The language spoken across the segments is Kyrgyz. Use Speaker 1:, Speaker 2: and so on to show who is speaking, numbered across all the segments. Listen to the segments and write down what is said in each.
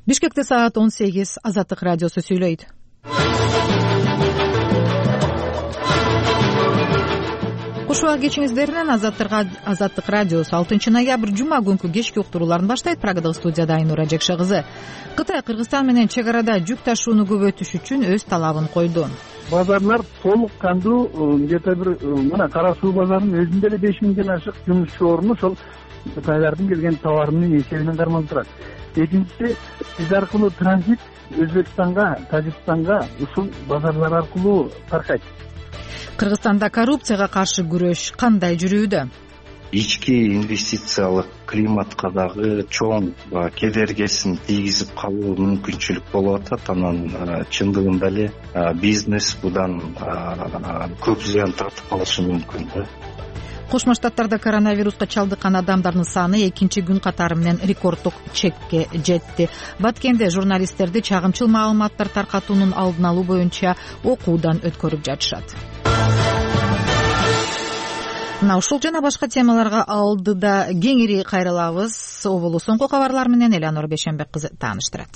Speaker 1: Бишкекте саат 18. Азаттык радиосу сүйлөйт. Куш убак кечиңиздеринен Азаттык радиосу 6 ноябрь жума күнкү кечки уктурууларын баштайт. Прагадагы студияда Айнура Жекше кызы. Кытай Кыргызстан менен чек арада жүк ташууну көбөйтүш үчүн өз талабын койду.
Speaker 2: Базарлар толук кандуу, где-то бир мына Кара Суу базарынын өзүндө эле 5000ден ашык жумушчу орну ошол Кытайлардын келген товарынын эсебинен кармалып турат. Экинчиси, биз аркылуу транзит Өзбекстанга, Тажикстанга ушул базарлар аркылуу таркайт.
Speaker 1: Кыргызстанда коррупцияга каршы күрөш кандай жүрүүдө?
Speaker 3: Ички инвестициялык климатка дагы чоң кедергесин тийгизип калуу мүмкүнчүлүк болуп атат. Анан чындыгында эле бизнес будан көп зыян тартып калышы мүмкүн.
Speaker 1: Кошмо Штаттарда коронавируска чалдыккан адамдардын саны 2 күн катары менен рекорддук чекке жетти. Баткенде журналисттерди чагымчыл маалыматтар таркатуунун алдын алуу боюнча окуудан өткөрүп жатышат. Мына ушул жана башка темаларга алдыда кеңири кайрылабыз. Оболу соңку кабарлар менен Элеонора Бейшенбек кызы тааныштырат.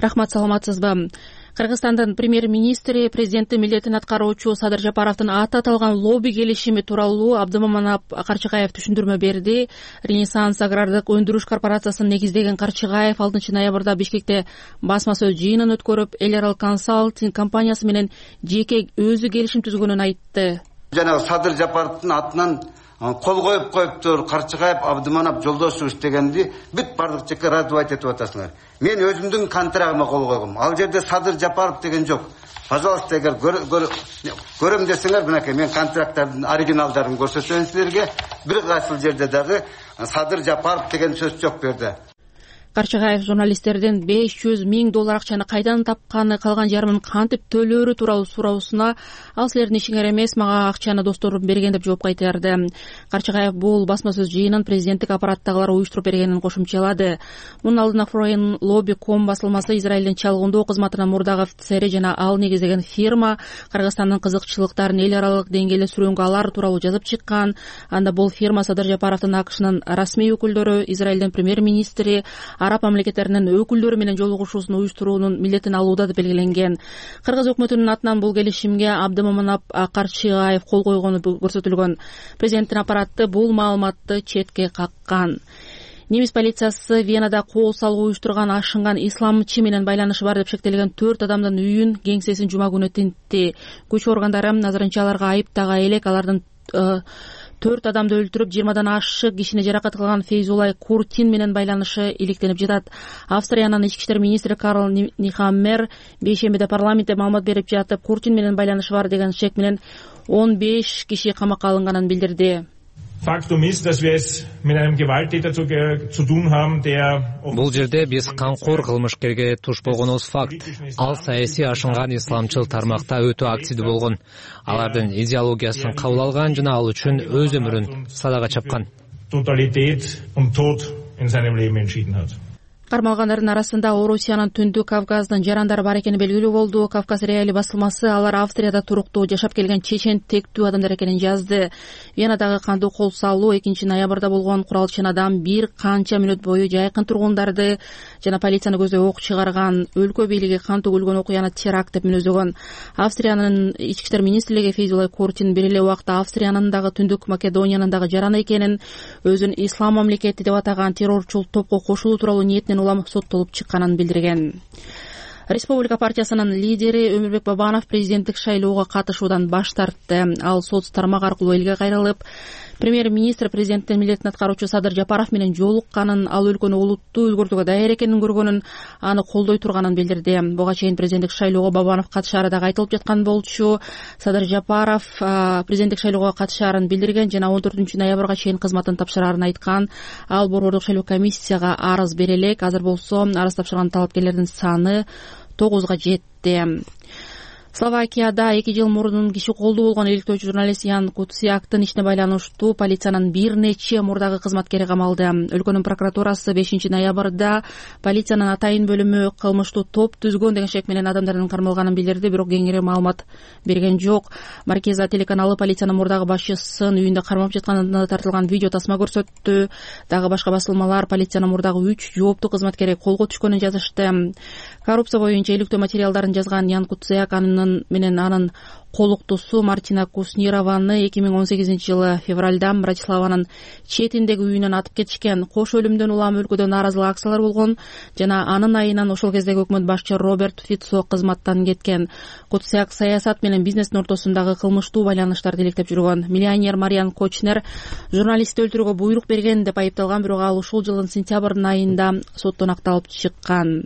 Speaker 4: Рахмат, саламатсызбы? Кыргызстандын премьер-министри президенттин милдетин аткаруучу Садыр Жапаровдун аты аталган лобби келишими тууралуу Абдымаманап Карчыгаев түшүндүрмө берди. Ренессанс агрардык өндүрүш корпорациясын негиздеген Карчыгаев 6 ноябрда Бишкекте басма сөз жыйынын өткөрүп, эл аралык консалтинг компаниясы менен жеке өзү келишим түзгөнүн айтты.
Speaker 5: Жана Садыр Жапаровдун атынан кол коюптур, Карчыгаев Абдыманап Жолдошович дегенди бүт бардык жеке раздавать этип атасыңар. Мен өзүмдүн контрагыма кол койгом. Ал жерде Садыр Жапаров деген жок. Пожалуйста, эгер көрөм десеңер, мынакей мен контракттардын оригиналдарын көрсөтөм силерге. Бир кайсыл жерде дагы Садыр Жапаров деген сөз жок берди.
Speaker 4: Карчыгаев журналисттердин $500 000 акчаны кайдан тапканы, калган жарымын кантип төлөөрү тууралуу суроосуна ал силердин ишиңер эмес, мага акчаны досторум берген деп жооп кайтарды. Карчыгаев бул басма сөз жыйынын президенттик аппараттагылар уюштуруп бергенин кошумчалады. Мунун алдына Foreign Lobby.com басылмасы Израилдин чалгындоо кызматынын мурдагы офицери жана ал негиздеген фирма Кыргызстандын кызыкчылыктарын эл аралык деңгээлде сүрөнгө алар тууралуу жазып чыккан. Анда бул фирма Садыр Жапаровдун АКШнын расмий өкүлдөрү, Израилдин премьер-министри, Араб мамлекеттеринин өкүлдөрү менен жолугушуусун уюштуруунун милдетин алууда деп белгиленген. Кыргыз өкмөтүнүн атынан бул келишимге Абдымаманап Карчыгаев кол койгону көрсөтүлгөн. Президенттин аппараты бул маалыматты четке каккан. Немис полициясы Венада кол салуу уюштурган ашынган исламчы менен байланышы бар деп шектелген 4 адамдын үйүн, кеңсесин жума күнү тинтти. Күч органдары азырынча аларга айып тага элек. Алардын 4 адамды өлтүрүп, 20 ашык кишини жаракат кылган Фейзулай Куртин менен байланышы иликтенип жатат. Австриянын ички иштер министри Карл Нихаммер бейшембиде парламентте маалымат берип жатып, Куртин менен байланышы бар деген шек менен 15 киши камакка алынганын билдирди.
Speaker 6: Faktum ist, dass wir es mit einem Gewalttäter zu tun haben, der...
Speaker 7: Бул жерде биз камкор кылмышкерге туш болгонубуз факт. Ал саясий ашынган исламчыл тармакта өтө активдүү болгон. Алардын идеологиясын кабыл алган жана ал үчүн өз өмүрүн садага чапкан.
Speaker 6: Totalität und Tod in seinem Leben entschieden hat.
Speaker 4: Кармалгандардын арасында Орусиянын Түндүк Кавказдын жарандары бар экени белгилүү болду. Кавказ реали басылмасы алар Австрияда туруктуу жашап келген чечен тектүү адамдар экенин жазды. Венадагы кандуу кол салуу 2 ноябрда болгон. Куралчан адам бир канча мүнөт бою жайкын тургундарды жана полицияны көздөй ок чыгарган. Өлкө бийлиги кан төгүлгөн окуяны теракт деп мүнөзөгөн. Австриянын ички иштер министрлиги Фейзулай Куртин бир эле убакта Австриянын дагы Түндүк Македониянын дагы жараны экенин, өзүн ислам мамлекети деп атаган террорчул топко кошулуу тууралуу ниетинен улам соттолуп чыкканын билдирген. Республика партиясынын лидери Өмүрбек Бабанов президенттик шайлоого катышуудан баш тартты. Ал соц тармак аркылуу элге кайрылып, премьер-министр президенттин милдетин аткаруучу Садыр Жапаров менен жолукканын, ал өлкөнү улуттуу өзгөртүүгө даяр экенин көргөнүн, аны колдой турганын билдирди. Буга чейин президенттик шайлоого Бабанов катышаары дагы айтылып жаткан болчу. Садыр Жапаров президенттик шайлоого катышаарын билдирген жана 14 ноябрга чейин кызматын тапшырарын айткан. Ал борбордук шайлоо комиссияга арыз бере элек. Азыр болсо арыз тапшырган талапкерлердин саны 9га жетти. Словакияда 2 жыл мурун киши колду болгон иликтөөчү журналист Ян Куцяктын ишине байланыштуу полициянын бир нече мурдагы кызматкери камалды. Өлкөнүн прокуратурасы 5 ноябрда полициянын атайын бөлүмү кылмыштуу топ түзгөн деген шек менен адамдардын кармалганын билдирди, бирок кеңири маалымат берген жок. Маркиза телеканалы полициянын мурдагы башчысын үйүндө кармап жатканында тартылган видео тасма көрсөттү. Дагы башка басылмалар полициянын мурдагы 3 жооптуу кызматкери колго түшкөнүн жазышты. Коррупция боюнча иликтөө материалдарын жазган Ян Куцяк менен анын колуктусу Мартина Куснированы 2018 жылы февралда Братиславанын четиндеги үйүнөн атып кетишкен. Кош өлүмдөн улам өлкөдө нааразылык акциялар болгон жана анын айынан ошол кездеги өкмөт башчы Роберт Фицо кызматтан кеткен. Куцяк саясат менен бизнестин ортосундагы кылмыштуу байланыштарды иликтеп жүргөн. Миллионер Мариан Кочнер журналистти өлтүрүүгө буйрук берген деп айыпталган, бирок ал ушул жылдын сентябрь айында соттон акталып чыккан.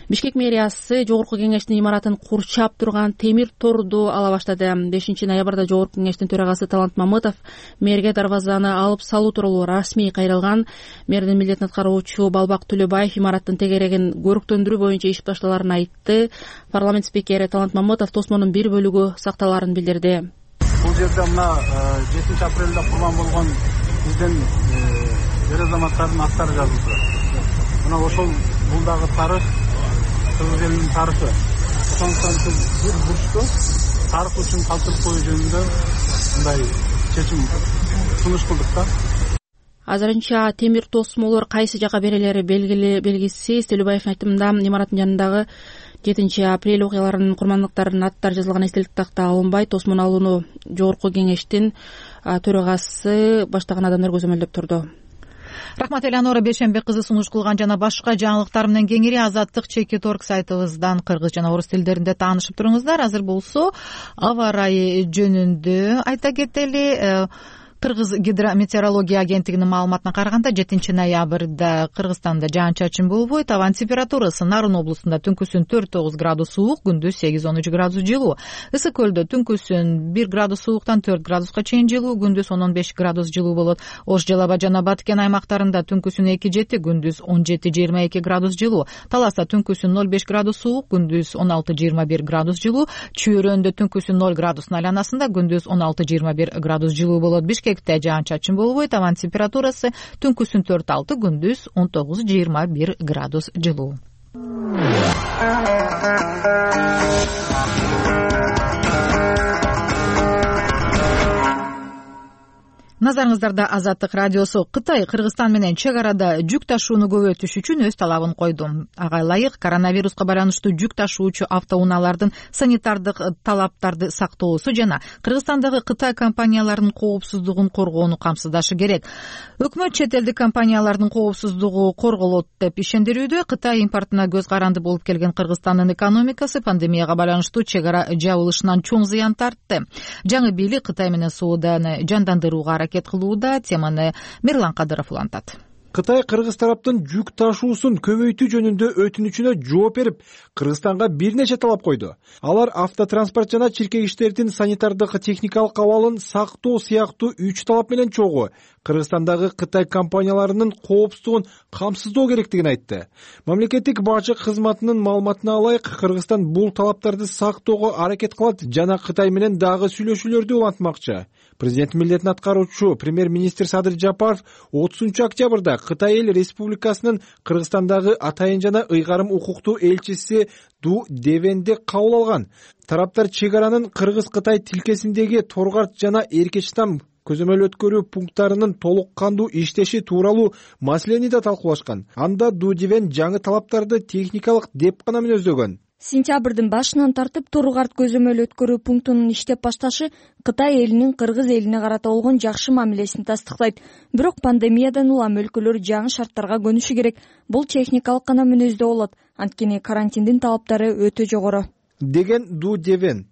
Speaker 4: Бишкек мэриясы Жогорку кеңештин имаратын курчап турган темир торду ала баштады. 5 ноябрда Жогорку кеңештин төрагасы Талант Мамытов мэрге дарбазаны алып салуу тууралуу расмий кайрылган. Мэрдин милдетин аткаруучу Балбак Төлөбаев имараттын тегерегин көрүктөндүрүү боюнча иш башталарын айтты. Парламент спикери Талант Мамытов тосмонун бир бөлүгү сакталарын билдирди.
Speaker 2: Бул жерде мына 7 апрелде курман болгон биздин эр азаматтардын аттары жазылды. Мына ошол бул дагы тарых, кыргыз элинин тарыхы. Ошондуктан биз бир бурчту тарых үчүн калтырып коюу жөнүндө мындай чечим сунуш кылдык да.
Speaker 4: Азырынча темир тосмолор кайсы жака берилери белгисиз. Төлөбаевдин айтымында имараттын жанындагы 7 апрель окуяларынын курмандыктарынын аттары жазылган эстелик такта алынбай, тосмон алууну Жогорку кеңештин төрагасы баштаган адамдар көзөмөлдөп турду.
Speaker 1: Рахмат Элеонора Бешенбек кызы сунуш кылган жана башка жаңылыктар менен кеңири Азаттык.org сайтыбыздан кыргыз жана орус тилдеринде таанышып туруңуздар. Азыр болсо аба ырайы жөнүндө айта кетели. Кыргыз гидрометеорология агенттигинин маалыматына караганда 7 ноябрда Кыргызстанда жаан-чачын болбойт. Абанын температурасы Нарын облусунда түнкүсүн 4-9 градус суук, күндүз 8-13 градус жылуу. Ысык көлдө түнкүсүн 1 градус сууктан 4 градуска чейин жылуу, күндүз 10-15 градус жылуу болот. Ош, Жалал Абад жана Баткен аймактарында түнкүсүн 2-7, күндүз 17-22 градус жылуу. Таласта түнкүсүн 0-5 градус суук, күндүз 16-21 градус жылуу. Чүйрөндө түнкүсүн 0 градустун айланасында, күндүз 16-21 градус жылуу болот. Бишкекте жаан-чачын болбойт. Абанын температурасы түнкүсүн 4-6, күндүз 19-21 градус жылуу. Назарыңыздарда Азаттык радиосу. Кытай Кыргызстан менен чек арада жүк ташууну көбөйтүш үчүн өз талабын койду. Ага ылайык коронавируска байланыштуу жүк ташуучу автоунаалардын санитардык талаптарды сактоосу жана Кыргызстандагы Кытай компанияларынын коопсуздугун коргоону камсыздашы керек. Өкмөт чет элдик компаниялардын коопсуздугу корголот деп ишендирүүдө. Кытай импортуна көз каранды болуп келген Кыргызстандын экономикасы пандемияга байланыштуу чек ара жабылышынан чоң зыян тартты. Жаңы бийлик Кытай менен сооданы жандандырууга аракет кылууда. Теманы Мирлан Кадыров улантат.
Speaker 8: Кытай кыргыз тараптын жүк ташуусун көбөйтүү жөнүндө өтүнүчүнө жооп берип, Кыргызстанга бир нече талап койду. Алар автотранспорт жана чиркегичтердин санитардык техникалык абалын сактоо сыяктуу 3 талап менен чогуу Кыргызстандагы Кытай компанияларынын коопсуздугун камсыздоо керектигин айтты. Мамлекеттик бажык кызматынын маалыматына ылайык, Кыргызстан бул талаптарды сактоого аракет кылат жана Кытай менен дагы сүйлөшүүлөрдү улантмакчы. Президент милдетин аткаруучу премьер-министр Садыр Жапаров 30 октябрда Кытай эл республикасынын Кыргызстандагы атайын жана ыйгарым укуктуу элчиси Ду Девенди кабыл алган. Тараптар чек аранын Кыргыз-Кытай тилкесиндеги Торгарт жана Эркечтам көзөмөл өткөрүү пункттарынын толук кандуу иштеши тууралуу маселени да талкуулашкан. Анда Ду Девен жаңы талаптарды техникалык деп гана мүнөздөгөн.
Speaker 9: Сентябрдын башынан тартып Торгарт көзөмөл өткөрүү пунктунун иштеп башташы Кытай элинин Кыргыз элине карата болгон жакшы мамилесин тастыктайт. Бирок пандемиядан улам өлкөлөр жаңы шарттарга көнүшү керек. Бул техникалык гана мүнөздө болот. Анткени карантиндин талаптары өтө жогору,
Speaker 8: деген Ду Девен.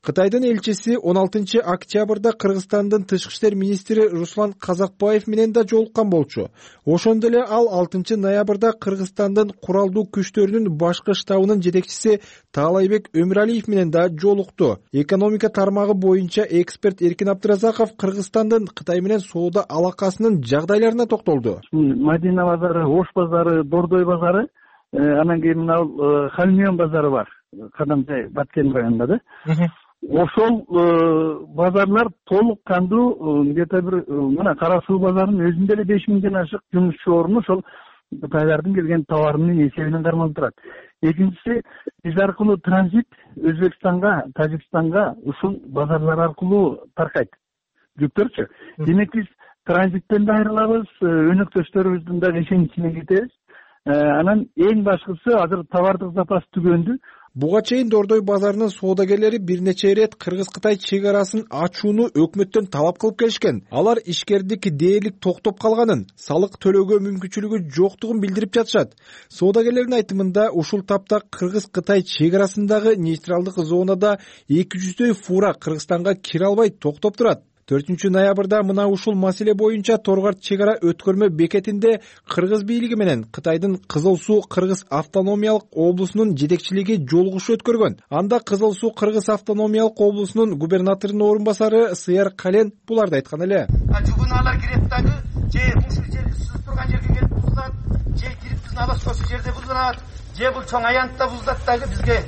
Speaker 8: Кытайдын элчиси 16 октябрда Кыргызстандын тышкы иштер министри Руслан Казакбаев менен да жолуккан болчу. Ошондо эле ал 6 ноябрда Кыргызстандын куралдуу күчтөрүнүн башкы штабынын жетекчиси Таалайбек Өмүралиев менен да жолукту. Экономика тармагы боюнча эксперт Эркин Абдыразаков Кыргызстандын Кытай менен соода алакасынын жагдайларына токтолду.
Speaker 2: Мадина базары, Ош базары, Бордой базары, анан кийин мына Хальмион базары бар. Кадамжай Баткен районунда да. Ошол базарлар толук кандуу где-то бир мына Кара Суу базарынын өзүндө эле 5000ден ашык жумушчу орун ошол Кытайлардын келген товарынын эсебинен кармалып турат. Экинчиси, биз аркылуу транзит Өзбекстанга, Тажикстанга ушул базарлар аркылуу таркайт жүктөрчү. Демек биз транзиттен да айрылабыз, өнөктөштөрүбүздүн да ишеничине кетебиз. Анан эң башкысы азыр товардык запас түгөндү.
Speaker 8: Буга чейин Дордой базарынын соодагерлери бир нече ирет Кыргыз-Кытай чек арасын ачууну өкмөттөн талап кылып келишкен. Алар ишкердик дээрлик токтоп калганын, салык төлөөгө мүмкүнчүлүгү жоктугун билдирип жатышат. Соодагерлердин айтымында ушул тапта Кыргыз-Кытай чек арасындагы нейтралдык зонада 200дөй фура Кыргызстанга кире албай токтоп турат. 4 ноябрда мына ушул маселе боюнча Торгарт чек ара өткөрмө бекетинде Кыргыз бийлиги менен Кытайдын Кызыл Суу Кыргыз автономиялык облусунун жетекчилиги жолугушуу өткөргөн. Анда Кызыл Суу Кыргыз автономиялык облусунун губернаторунун орун басары Сыяр Кален буларды айткан эле.
Speaker 10: Жугуналар кирет дагы, же ушул жерди сызып турган жерге келип бузулат, же кирип биздин алашкөсү жерде бузулат, же бул чоң аянтта бузулат дагы бизге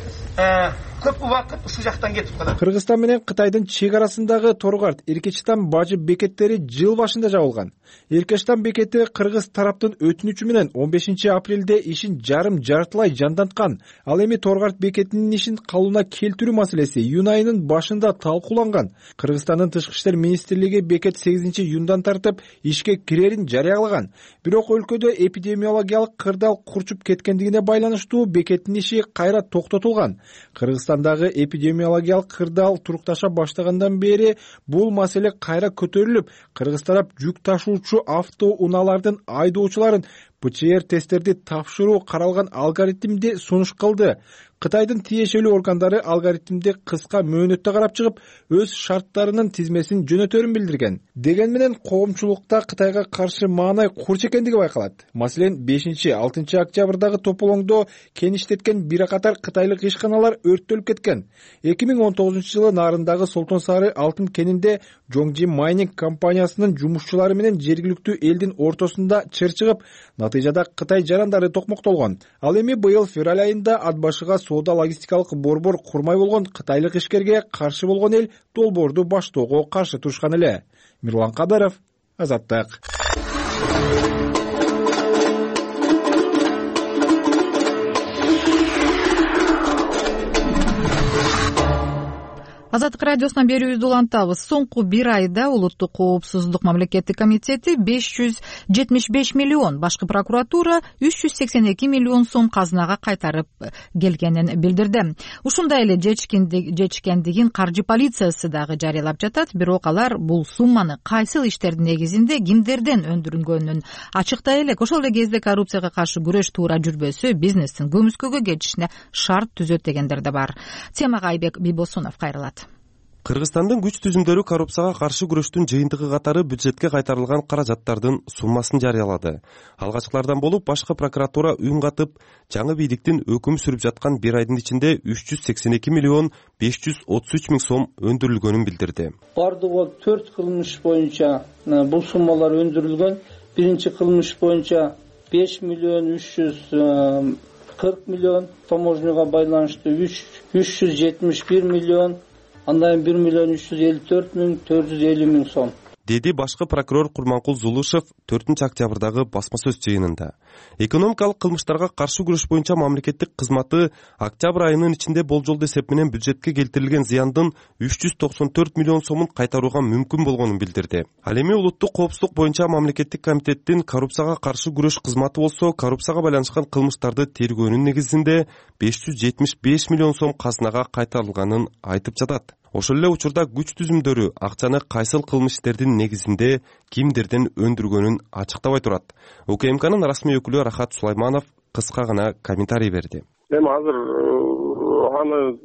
Speaker 10: көп убакыт ушул жактан кетип калат.
Speaker 8: Кыргызстан менен Кытайдын чек арасындагы Торгарт, Эркечтан бажы бекеттери жыл башында жабылган. Эркечтан бекети Кыргыз тараптын өтүнүчү менен 15 апрелде ишин жартылай жанданткан. Ал эми Торгарт бекетинин ишин калууна келтирүү маселеси июнь айынын башында талкууланган. Кыргызстандын тышкы иштер министрлиги бекет 8 июндан тартып ишке кирерин жарыялаган. Бирок өлкөдө эпидемиологиялык кырдаал курчуп кеткендигине байланыштуу бекеттин иши кайра токтотулган. Кыргызстандагы эпидемиологиялык кырдаал турукташа баштагандан бери бул маселе кайра көтөрүлүп, Кыргыз тарап жүк ташуучу автоунаалардын айдоочуларын ПЦР тесттерди тапшыруу каралган алгоритмди сунуш кылды. Кытайдын тиешелүү органдары алгоритмди кыска мөөнөттө карап чыгып, өз шарттарынын тизмесин жөнөтөрүн билдирген. Деген менен коомчулукта Кытайга каршы маанай курч экендиги байкалат. Маселен, 5-6 октябрдагы тополоңдо кеништеткен бир катар кытайлык ишканалар өрттөлүп кеткен. 2019-жылы нарындагы Солтон Сары алтын кенинде Жоңжи Майнинг компаниясынын жумушчулары менен жергиликтүү элдин ортосунда чыр чыгып, натыйжада Кытай жарандары токмоктолгон. Ал эми быйыл февраль айында ат башыга соода логистикалык борбор курмай болгон кытайлык ишкерге каршы болгон эл долбоорду баштоого каршы турушкан эле. Мирлан Кадаров, Азаттык.
Speaker 1: Азаттык радиосунан берүүбүздү улантабыз. Соңку бир айда Улуттук коопсуздук мамлекеттик комитети 575 миллион, башкы прокуратура 382 миллион сом казынага кайтарып келгенин билдирди. Ушундай эле жечкендигин каржы полициясы дагы жарыялап жатат, бирок алар бул сумманы кайсыл иштердин негизинде кимдерден өндүрүлгөнүн ачыктай элек. Ошол эле кезде коррупцияга каршы күрөш туура жүрбөсө, бизнестин көмүскөгө кетишине шарт түзөт дегендер да бар. Темага Айбек Бибосунов кайрылат.
Speaker 11: Кыргызстандын күч түзүмдөрү коррупцияга каршы күрөштүн жыйынтыгы катары бюджетке кайтарылган каражаттардын суммасын жарыялады. Алгачкылардан болуп башкы прокуратура үн катып, жаңы бийликтин өкүм сүрүп жаткан бир айдын ичинде 382 миллион 533 миң сом өндүрүлгөнүн билдирди.
Speaker 12: Бардыгы 4 кылмыш боюнча бул суммалар өндүрүлгөн. Биринчи кылмыш боюнча 5 миллион 340 миллион, таможняга байланыштуу 371 миллион, андан 1 миллион 354 миң 450 миң сом.
Speaker 11: Деди башкы прокурор Курманкул Зулушев 4 октябрдагы басма сөз жыйынында. Экономикалык кылмыштарга каршы күрөш боюнча мамлекеттик кызматы октябрь айынын ичинде болжолдуу эсеп менен бюджетке келтирилген зыяндын 394 миллион сомун кайтарууга мүмкүн болгонун билдирди. Ал эми улуттук коопсуздук боюнча мамлекеттик комитеттин коррупцияга каршы күрөш кызматы болсо, коррупцияга байланышкан кылмыштарды тергөөнүн негизинде 575 миллион сом казынага кайтарылганын айтып жатат. Ошол эле учурда күч түзүмдөрү акчаны кайсыл кылмыш иштердин негизинде кимдерден өндүргөнүн ачыктабай турат. УКМКнын расмий өкүлү Рахат Сулайманов кыска гана комментарий берди.
Speaker 13: Эми азыр аны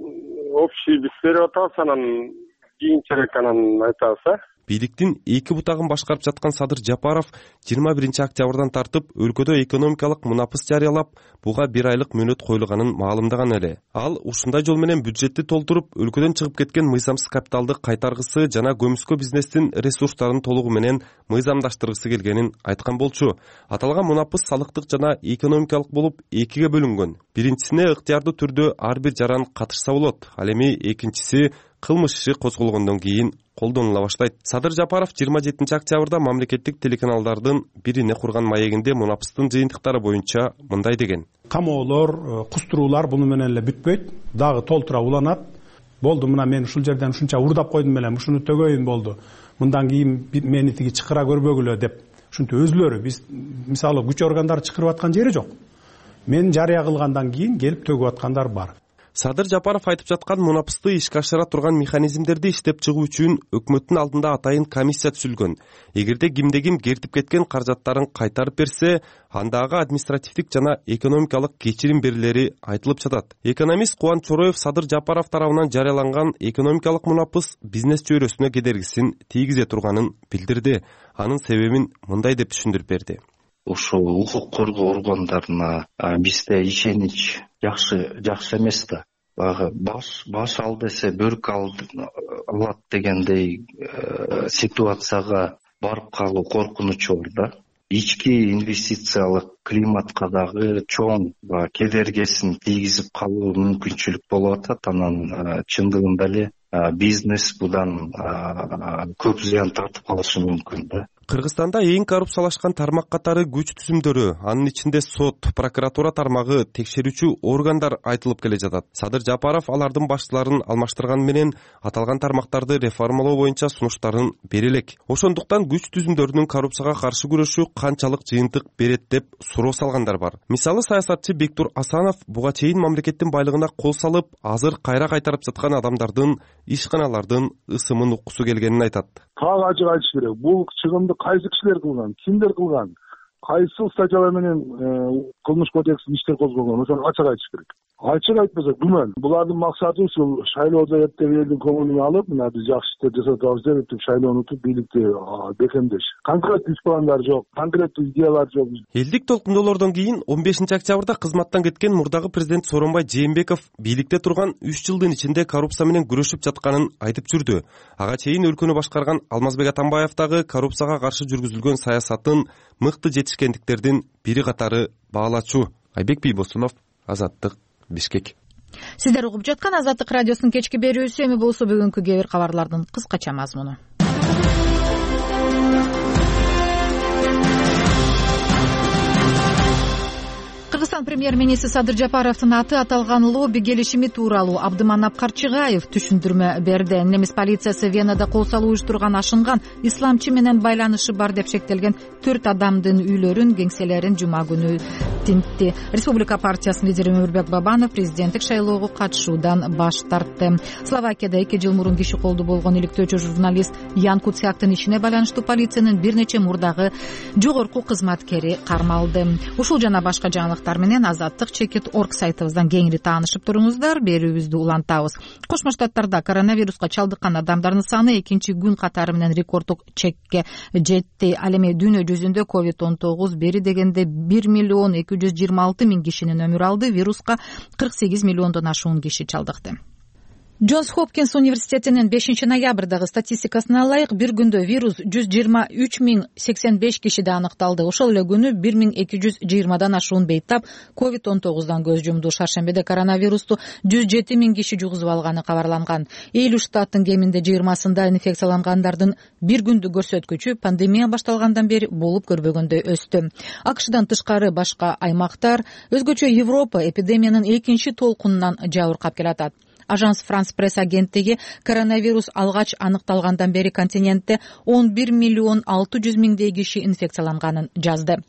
Speaker 13: общий биз берип атабыз, анан кийинчерээк анан айтабыз.
Speaker 11: бийликтин эки бутагын башкарып жаткан Садыр Жапаров 21 октябрдан тартып өлкөдө экономикалык мунапыс жарыялап, буга 1 айлык мөөнөт коюлганын маалымдаган эле. Ал ушундай жол менен бюджетти толтуруп, өлкөдөн чыгып кеткен мыйзамсыз капиталды кайтаргысы жана көмүскө бизнестин ресурстарын толугу менен мыйзамдаштыргысы келгенин айткан болчу. Аталган мунапыс салыктык жана экономикалык болуп экиге бөлүнгөн. Биринчисине ыктыярдуу түрдө ар бир жаран катышса болот. Ал эми экинчиси кылмыш иши козголгондон кийин колдонула баштайт. Садыр Жапаров 27 октябрда мамлекеттик телеканалдардын бирине курган маегинде мунапыстын жыйынтыктары боюнча мындай деген:
Speaker 13: камоолор, кустуруулар буну менен эле бүтпөйт, дагы толтура уланат. Болду, мына мен ушул жерден ушунча урдап койдум эле, ушуну төгөйүн болду. Мындан кийин мени тиги чыкыра көрбөгүлө деп. Ушинтип өзүлөрү, биз мисалы күч органдары чыкырып аткан жери жок. Мен жарыя кылгандан кийин келип төгүп аткандар бар.
Speaker 11: Садыр Жапаров айтып жаткан мунапысты ишке ашыра турган механизмдерди иштеп чыгуу үчүн өкмөттүн алдында атайын комиссия түзүлгөн. Эгерде кимде-ким кертип кеткен каражаттарын кайтарып берсе, андагы административдик жана экономикалык кечирим берилери айтылып жатат. Экономист Кубан Чороев Садыр Жапаров тарабынан жарыяланган экономикалык мунапыс бизнес чөйрөсүнө кедергисин тийгизе турганын билдирди. Анын себебин мындай деп түшүндүрүп берди.
Speaker 3: Ошол укук коргоо органдарына бизде ишенич жакшы эмес да. Багы баш ал десе бөрк алат дегендей ситуацияга барып калуу коркунучу бар да. Ички инвестициялык климатка дагы чоң кедергесин тийгизип калуу мүмкүнчүлүк болуп атат. Анан чындыгында эле бизнес будан көп зыян тартып калышы мүмкүн да.
Speaker 11: Кыргызстанда эң коррупциялашкан тармак катары күч түзүмдөрү, анын ичинде сот, прокуратура тармагы, текшерүүчү органдар айтылып келе жатат. Садыр Жапаров алардын башчыларын алмаштырган менен аталган тармактарды реформалоо боюнча сунуштарын бере элек. Ошондуктан күч түзүмдөрүнүн коррупцияга каршы күрөшү канчалык жыйынтык берет деп суроо салгандар бар. Мисалы саясатчы Бектур Асанов буга чейин мамлекеттин байлыгына кол салып, азыр кайра кайтарып жаткан адамдардын, ишканалардын ысымын уккусу келгенин айтат.
Speaker 14: Так ачык айтыш керек. Бул чыгымды кайсы кишилер кылган, кимдер кылган, кайсы статьялар менен кылмыш кодексин иштер козголгон, ошону ачык айтыш керек. Ачык айтпаса күмөн. Булардын максаты ушул шайлоодо эптеп элдин көңүлүн алып, мына биз жакшы иштер жасап атабыз деп эптеп шайлоону утуп бийликти бекемдеш. Конкреттүү иш пландар жок, конкреттүү идеялар жок.
Speaker 11: Элдик толкундоолордон кийин 15 октябрда кызматтан кеткен мурдагы президент Сооронбай Жээнбеков бийликте турган 3 жылдын ичинде коррупция менен күрөшүп жатканын айтып жүрдү. Ага чейин өлкөнү башкарган Алмазбек Атамбаев дагы коррупцияга каршы жүргүзүлгөн саясатын мыкты жетишкендиктердин бири катары баалачу. Айбек Бийбосунов, Азаттык, Бишкек.
Speaker 1: Сиздер угуп жаткан Азаттык радиосунун кечки берүүсү. Эми болсо бүгүнкү кээ бир кабарлардын кыскача мазмуну. Кыргызстан премьер-министри Садыр Жапаровдун аты аталган лобби келишими тууралуу Абдыманап Карчыгаев түшүндүрмө берди. Немис полициясы Венада кол салуу уюштурган ашынган исламчы менен байланышы бар деп шектелген 4 адамдын үйлөрүн, кеңселерин жума күнү тинтти. Республика партиясынын лидери Өмүрбек Бабанов президенттик шайлоого катышуудан баш тартты. Словакияда 2 жыл мурун киши колду болгон иликтөөчү журналист Ян Куцяктын ишине байланыштуу полициянын бир нече мурдагы жогорку кызматкери кармалды. Ушул жана башка жаңылыктар менен Азаттык.org сайтыбыздан кеңири таанышып туруңуздар. Берүүбүздү улантабыз. Кошмо Штаттарда коронавируска чалдыккан адамдардын саны экинчи күн катары менен рекорддук чекке жетти. Ал эми дүйнө жүзүндө COVID-19 бери дегенде 1,226,000 кишинин өмүр алды. Вируска 48 миллиондон ашуун киши чалдыкты. Джонс Хопкинс университетинин 5 ноябрдагы статистикасына ылайык бир күндө вирус 123,085 кишиде аныкталды. Ошол эле күнү 1220дан ашуун бейтап COVID-19дан көз жумду. Шаршембиде коронавирусту 107,000 киши жугузуп алганы кабарланган. 50 штаттын кеминде 20сында инфекциялангандардын бир күндүк көрсөткүчү пандемия башталгандан бери болуп көрбөгөндөй өстү. АКШдан тышкары башка аймактар, өзгөчө Европа эпидемиянын экинчи толкунунан жабыркап келатат. Ажанс Франс пресс агенттиги коронавирус алгач аныкталгандан бери континентте 11,600,000 киши инфекцияланганын жазды.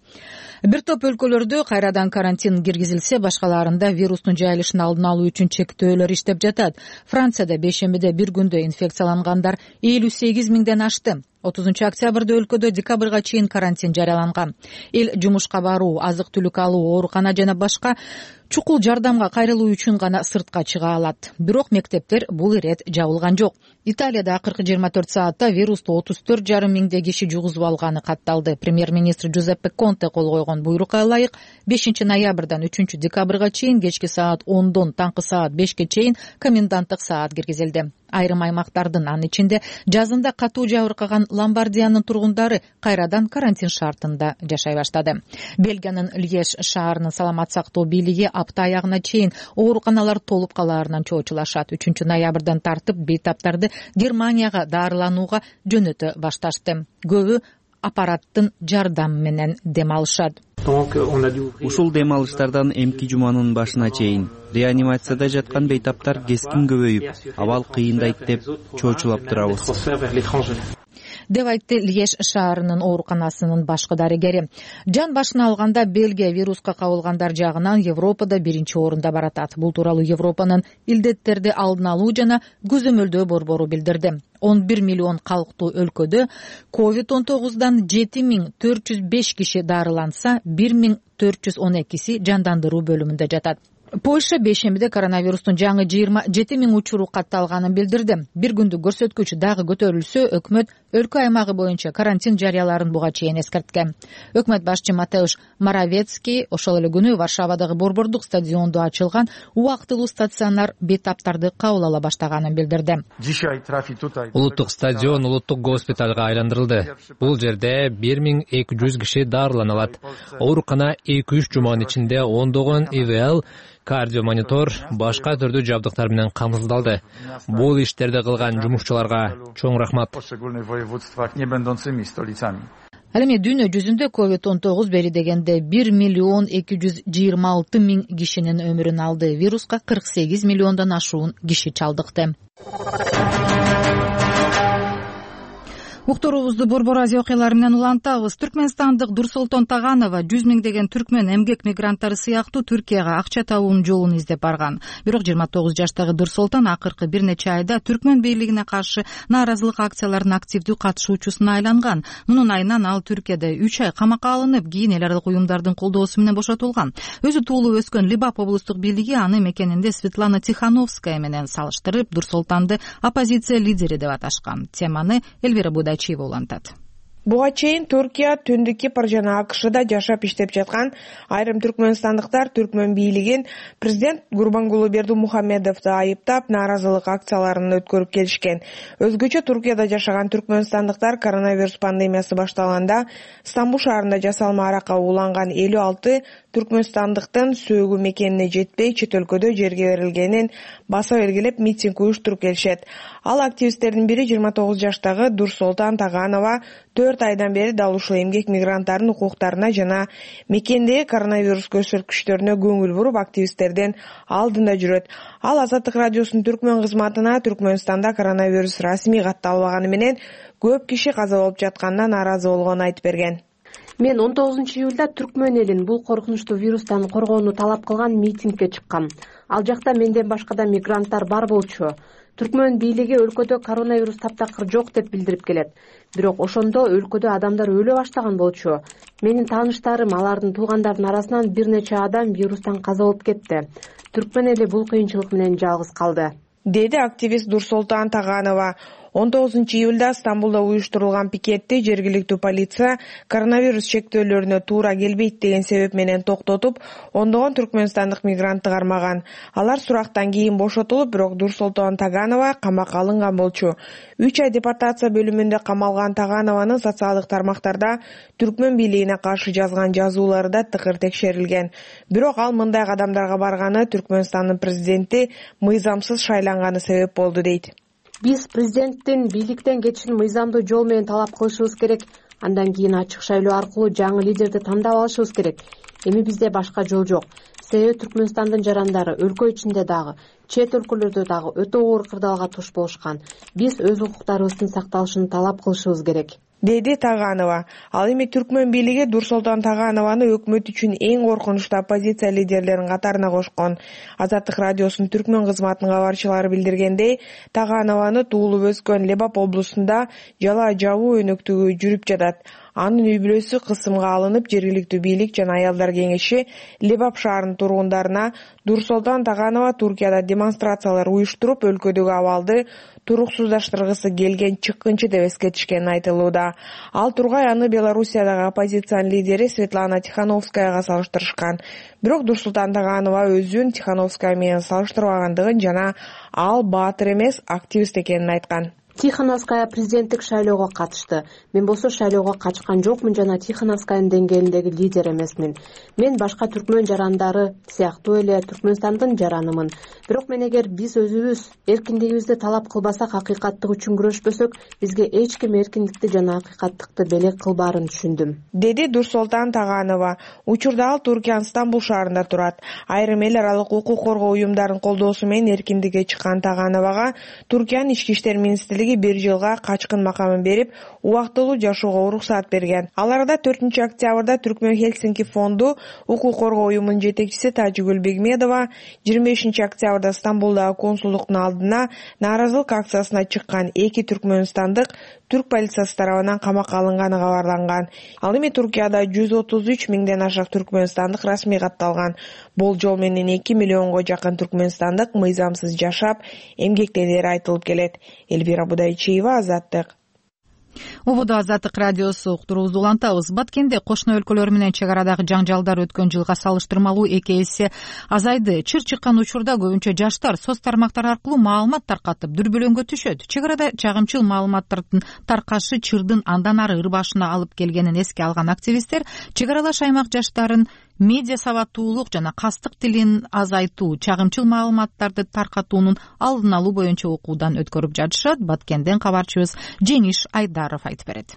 Speaker 1: Бир топ өлкөлөрдө кайрадан карантин киргизилсе, башкаларында вирустун жайылышын алдын алуу үчүн чектөөлөр иштеп жатат. Францияда бейшембиде бир күндө инфекциялангандар 58,000ден ашты. 30 өлкөдө декабрга чейин карантин жарыяланган. Эл жумушка баруу, азык-түлүк алуу, оорукана жана башка чукул жардамга кайрылуу үчүн гана сыртка чыга алат. Бирок мектептер бул ирет жабылган жок. Италияда акыркы 24 саатта вирусту 34,5 миңдей киши жугузуп алганы катталды. Премьер-министр Джузеппе Конте кол койгон буйрукка ылайык 5 ноябрдан 3 декабрга чейин кечки саат 10дон таңкы саат 5ке чейин коменданттык саат киргизилди. Айрым аймактардын, анын ичинде жазында катуу жабыркаган Ломбардиянын тургундары кайрадан карантин шартында жашай баштады. Бельгиянын Льеж шаарынын саламат сактоо бийлиги апта аягына чейин ооруканалар толуп калаарынан чоочулашат. 3 ноябрдан тартып бейтаптарды Германияга дарыланууга жөнөтө башташты. Көбү аппараттын жардамы менен дем алышат.
Speaker 15: Ушул дем алыштардан эмки жуманын башына чейин реанимацияда жаткан бейтаптар кескин көбөйүп, абал кыйындайт деп чоочулап турабыз,
Speaker 1: деп айтты Льеж шаарынын ооруканасынын башкы дарыгери. Жан башына алганда Бельгия вируска кабылгандар жагынан Европада 1-орунда баратат. Бул тууралуу Европанын илдеттерди алдын алуу жана көзөмөлдөө борбору билдирди. 11 миллион калктуу өлкөдө COVID-19дан 7405 киши дарыланса, 1412си жандандыруу бөлүмүндө жатат. Польша бейшембиде коронавирустун жаңы 27 миң учуру катталганын билдирди. Бир күндүк көрсөткүч дагы көтөрүлсө, өкмөт өлкө аймагы боюнча карантин жарыяларын буга чейин эскерткен. Өкмөт башчы Матеуш Моровецкий ошол эле күнү Варшавадагы борбордук стадиондо ачылган убактылуу стационар бейтаптарды кабыл ала баштаганын билдирди.
Speaker 7: Улуттук стадион улуттук госпиталга айландырылды. Бул жерде 1200 киши дарылана алат. Оорукана 2-3 жуманын ичинде ондогон ИВЛ, кардиомонитор, башка түрдүү жабдыктар менен камсыздалды. Бул иштерди кылган жумушчуларга чоң рахмат.
Speaker 1: Ал эми дүйнө жүзүндө COVID-19 бери дегенде 1,226,000 кишинин өмүрүн алды. Вируска 48 миллиондон ашуун киши чалдыкты. Уктуруубузду Борбор Азия окуялары менен улантабыз. Түркмөнстандык Дурсултон Таганова 100 миңдеген түркмөн эмгек мигранттары сыяктуу Түркияга акча табуунун жолун издеп барган. Бирок 29 жаштагы Дурсултон акыркы бир нече айда түркмөн бийлигине каршы нааразылык акцияларынын активдүү катышуучусуна айланган. Мунун айынан ал Түркияда 3 ай камакка алынып, кийин эл аралык уюмдардын колдоосу менен бошотулган. Өзү туулуп өскөн Либап облустук бийлиги аны мекенинде Светлана Тихановская менен салыштырып, Дурсултанды оппозиция лидери деп аташкан. Теманы Эльвира Будачиева улантат.
Speaker 16: Буга чейин Түркия, Түндүк Кипр жана АКШда жашап иштеп жаткан айрым түркмөнстандыктар түркмөн бийлигин президент Гурбангулы Бердимухамедовду айыптап, нааразылык акцияларын өткөрүп келишкен. Өзгөчө Түркияда жашаган түркмөнстандыктар коронавирус пандемиясы башталганда Стамбул шаарында жасалма аракка уланган 56 түркмөнстандыктын сөөгү мекенине жетпей чет өлкөдө жерге берилгенин баса белгилеп митинг уюштуруп келишет. Ал активисттердин бири 29 жаштагы Дурсултон Таганова 4 айдан бери дал ушул эмгек мигранттарынын укуктарына жана мекендеги коронавирус көрсөткүчтөрүнө көңүл буруп, активисттердин алдында жүрөт. Ал Азаттык радиосунун түркмөн кызматына Түркмөнстанда коронавирус расмий катталбаганы менен көп киши каза болуп жатканына нааразы болгонун айтып берген.
Speaker 17: Мен 19 июлда түркмөн элин бул коркунучтуу вирустан коргоону талап кылган митингге чыккам. Ал жакта менден башка да мигранттар бар болчу. Түркмөн бийлиги өлкөдө коронавирус таптакыр жок деп билдирип келет. Бирок ошондо өлкөдө адамдар өлө баштаган болчу. Менин тааныштарым, алардын туугандарынын арасынан бир нече адам вирустан каза болуп кетти. Түркмөн эли бул кыйынчылык менен жалгыз калды,
Speaker 16: деди активист Дурсултон Таганова. 19 июлда Стамбулда уюштурулган пикетти жергиликтүү полиция коронавирус чектөөлөрүнө туура келбейт деген себеп менен токтотуп, ондогон түркмөнстандык мигрантты кармаган. Алар сурактан кийин бошотулуп, бирок Дурсултон Таганова камакка алынган болчу. 3 ай депортация бөлүмүндө камалган Таганованын социалдык тармактарда түркмөн бийлигине каршы жазган жазуулары да тыкыр текшерилген. Бирок ал мындай кадамдарга барганы Түркмөнстандын президенти мыйзамсыз шайланганы себеп болду дейт.
Speaker 17: Биз президенттин бийликтен кетишин мыйзамдуу жол менен талап кылышыбыз керек. Андан кийин ачык шайлоо аркылуу жаңы лидерди тандап алышыбыз керек. Эми бизде башка жол жок. Себеби Түркмөнстандын жарандары өлкө ичинде дагы, чет өлкөлөрдө дагы өтө оор кырдаалга туш болушкан. Биз өз укуктарыбыздын сакталышын талап кылышыбыз керек.
Speaker 16: деди Таганова. Ал эми түркмөн бийлиги Нурсултан Таганованы өкмөт үчүн эң коркунучтуу оппозиция лидерлеринин катарына кошкон. Азаттык радиосунун түркмөн кызматынын кабарчылары билдиргендей, Таганованы туулуп өскөн Лебап облусунда жала жабуу өнөктүгү жүрүп жатат. Анын үй бүлөсү кысымга алынып, жергиликтүү бийлик жана аялдар кеңеши Лебап шаарынын тургундарына Нурсултан Таганова Туркияда демонстрациялар уюштуруп, өлкөдөгү абалды туруксуздаштыргысы келген чыккынчы деп эскертишкени айтылууда. Ал тургай аны Белоруссиядагы оппозициянын лидери Светлана Тихановскаяга салыштырышкан. Бирок Нурсултан Таганова өзүн Тихановская менен салыштырбагандыгын жана ал баатыр эмес, активист экенин айткан.
Speaker 17: Тихановская президенттик шайлоого катышты. Мен болсо шайлоого катышкан жокмун жана Тихановскаянын деңгээлиндеги лидер эмесмин. Мен башка түркмөн жарандары сыяктуу эле Түркмөнстандын жаранымын. Бирок мен эгер биз өзүбүз эркиндигибизди талап кылбасак, акыйкаттык үчүн күрөшпөсөк, бизге эч ким эркиндикти жана акыйкаттыкты белек кылбаарын түшүндүм,
Speaker 16: деди Нурсултан Таганова. Учурда ал Туркиянын Стамбул шаарында турат. Айрым эл аралык укук коргоо уюмдарынын колдоосу менен эркиндикке чыккан Тагановага Туркиянын ички иштер министрлиги 1 жылга качкын макамын берип, убактылуу жашоого уруксаат берген. Ал арада 4-октябрда Түркмөн Хельсинки фонду укук коргоо уюмунун жетекчиси Тажигүл Бегмедова 25-октябрда Стамбулдагы консулдуктун алдына нааразылык акциясына чыккан 2 түркмөнстандык түрк полициясы тарабынан камакка алынганы кабарланган. Ал эми Туркияда 133 миңден ашык түркмөнстандык расмий катталган. Болжол менен 2 миллионго жакын түркмөнстандык мыйзамсыз жашап, эмгектенери айтылып келет. Элвира Будайчиева, Азаттык.
Speaker 1: Убуда Азаттык радиосу уктуруубузду улантабыз. Баткенде кошуна өлкөлөр менен чек арадагы жаңжалдар өткөн жылга салыштырмалуу 2 эсе азайды. Чыр чыккан учурда көбүнчө жаштар соц тармактар аркылуу маалымат таркатып, дүрбөлөңгө түшөт. Чек арада чагымчыл маалыматтардын таркашы чырдын андан ары ырбашына алып келгенин эске алган активисттер чек аралаш аймак жаштарын медиа сабаттуулук жана кастык тилин азайтуу, чагымчыл маалыматтарды таркатуунун алдын алуу боюнча окуудан өткөрүп жатышат. Баткенден кабарчыбыз Жениш Айдаров айтып берет.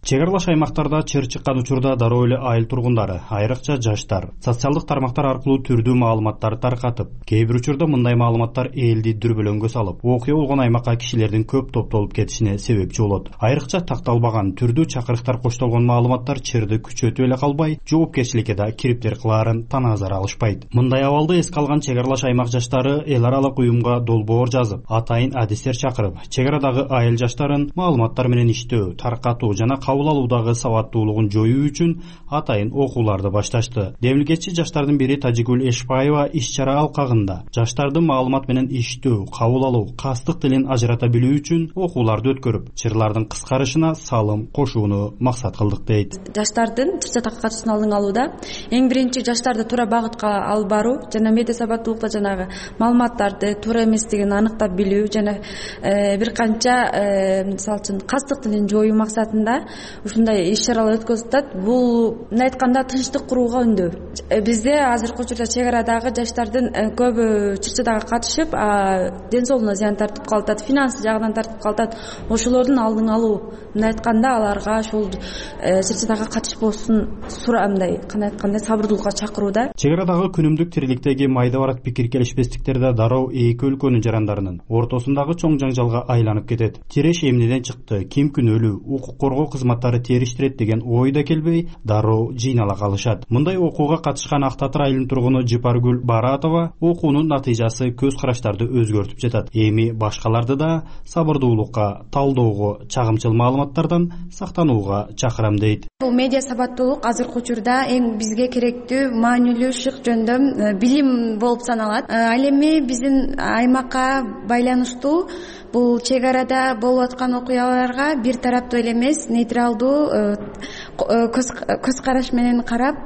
Speaker 18: Чек аралаш аймактарда чыр чыккан учурда дароо эле айыл тургундары, айрыкча жаштар, социалдык тармактар аркылуу түрдүү маалыматтарды таркатып, кээ бир учурда мындай маалыматтар элди дүрбөлөңгө салып, окуя болгон аймакка кишилердин көп топтолуп кетишине себепчи болот. Айрыкча такталбаган, түрдүү чакырыктар коштолгон маалыматтар чырды күчөтүп эле калбай, жоопкерчиликке да кириптер кылаарын танаазар алышпайт. Мындай абалды эске алган чек аралаш аймак жаштары эл аралык уюмга долбоор жазып, атайын адистер чакырып, чек арадагы айыл жаштарын маалыматтар менен иштөө, таркатуу жана кабыл алуудагы сабаттуулугун жоюу үчүн атайын окууларды башташты. Демилгечи жаштардын бири Тажигүл Эшпаева иш-чара алкагында жаштарды маалымат менен иштөө, кабыл алуу, кастык тилин ажырата билүү үчүн окууларды өткөрүп, чырлардын кыскарышына салым кошууну максат кылдык дейт.
Speaker 19: Жаштардын чыр-чатакка катышуусун алдын алууда эң биринчи жаштарды туура багытка алып баруу жана медиа сабаттуулукта жанагы маалыматтарды туура эместигин аныктап билүү жана бир канча мисалы үчүн кастык тилин жоюу максатында ушундай иш-чаралар өткөзүп атат. Бул мындай айтканда тынчтык курууга үндөө. Бизде азыркы учурда чек арадагы жаштардын көбү чыр-чатакка катышып, ден соолугуна зыян тартып калат, финанс жагынан тартып калат. Ошолордун алдын алуу, мындай айтканда аларга ошол чыр-чатакка катышпосун мындай кандай айтканда сабырдуулукка чакырууда.
Speaker 18: Чек арадагы күнүмдүк тириликтеги майда барак пикир келишпестиктер да дароо эки өлкөнүн жарандарынын ортосундагы чоң жаңжалга айланып кетет. Тиреш эмнеден чыкты, ким күнөөлүү, укук коргоо кызматтары териштирет деген ой да келбей, дароо жыйнала калышат. Мындай окууга катышкан Ак Татыр айылынын тургуну Жыпаргүл Баратова окуунун натыйжасы көз караштарды өзгөртүп жатат. Эми башкаларды да сабырдуулукка, талдоого, чагымчыл маалыматтардан сактанууга чакырам дейт.
Speaker 19: Бул медиа сабаттуулук азыркы учурда эң бизге керектүү, маанилүү, шык жөндөм билим болуп саналат. Ал эми биздин аймакка байланыштуу бул чек арада болуп аткан окуяларга бир тараптуу эле эмес, нейтралдуу көз караш менен карап,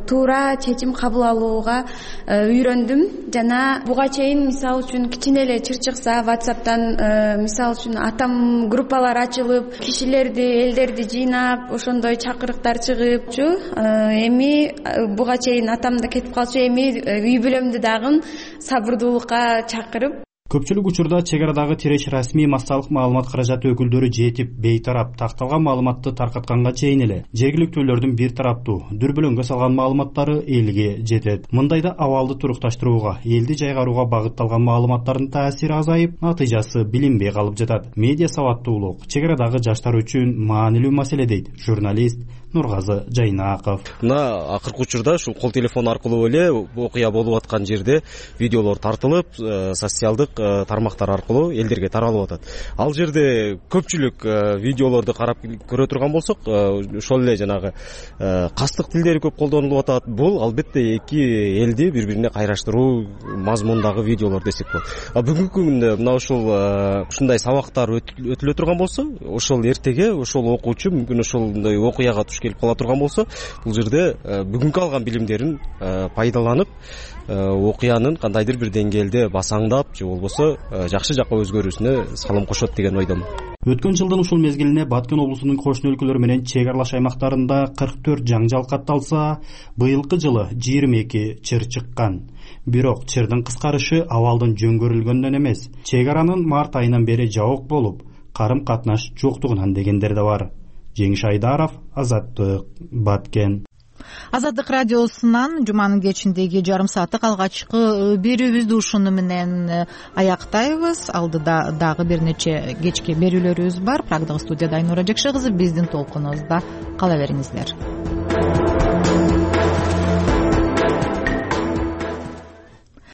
Speaker 19: туура чечим кабыл алууга үйрөндүм. Жана буга чейин мисалы үчүн кичине эле чыр чыкса WhatsApp'тан мисалы үчүн атам группалар ачылып, кишилерди, элдерди жыйнап, ошондой чакырыктар чыгыпчу. Эми буга чейин атам да кетип калчу, эми үй бүлөмдү дагы сабырдуулукка чакырып,
Speaker 18: көпчүлүк учурда чек арадагы тиреш расмий массалык маалымат каражаты өкүлдөрү жетип бейтарап такталган маалыматты таркатканга чейин эле жергиликтүүлөрдүн бир тараптуу дүрбөлөңгө салган маалыматтары элге жетет. Мындайда абалды турукташтырууга, элди жайгарууга багытталган маалыматтардын таасири азайып, натыйжасы билинбей калып жатат. Медиа сабаттуулук чек арадагы жаштар үчүн маанилүү маселе дейт журналист Нургазы Жайнаков.
Speaker 20: Мына акыркы учурда ушул кол телефон аркылуу эле окуя болуп аткан жерде видеолор тартылып, социалдык тармактар аркылуу элдерге таралып атат. Ал жерде көпчүлүк видеолорду карап көрө турган болсок, ошол эле жанагы кастык тилдери көп колдонулуп атат. Бул албетте эки элди бири-бирине кайраштыруу мазмундагы видеолор десек болот. Бүгүнкү күндө мына ушундай сабактар өтүлө турган болсо, ошол эртеге ошол окуучу мүмкүн ошондой окуяга туш келип кала турган болсо, бул жерде бүгүнкү алган билимдерин пайдаланып, окуянын кандайдыр бир деңгээлде басаңдап же болбосо жакшы жакка өзгөрүүсүнө салым кошот деген ойдомун.
Speaker 18: Өткөн жылдын ушул мезгилине Баткен облусунун кошуна өлкөлөр менен чек аралаш аймактарында 44 жаңжал катталса, быйылкы жылы 22 чыр чыккан. Бирок чырдын кыскарышы абалдын жөнгөрүлгөнүнөн эмес, чек аранын март айынан бери жабык болуп, карым катнаш жоктугунан дегендер да бар. Жеңиш Айдаров, Азаттык, Баткен.
Speaker 1: Азаттык радиосунан жуманын кечиндеги жарым сааттык алгачкы берүүбүздү ушуну менен аяктайбыз. Алдыда дагы бир нече кечки берүүлөрүбүз бар. Прагдагы студияда Айнура Жекше кызы, биздин толкунубузда кала бериңиздер.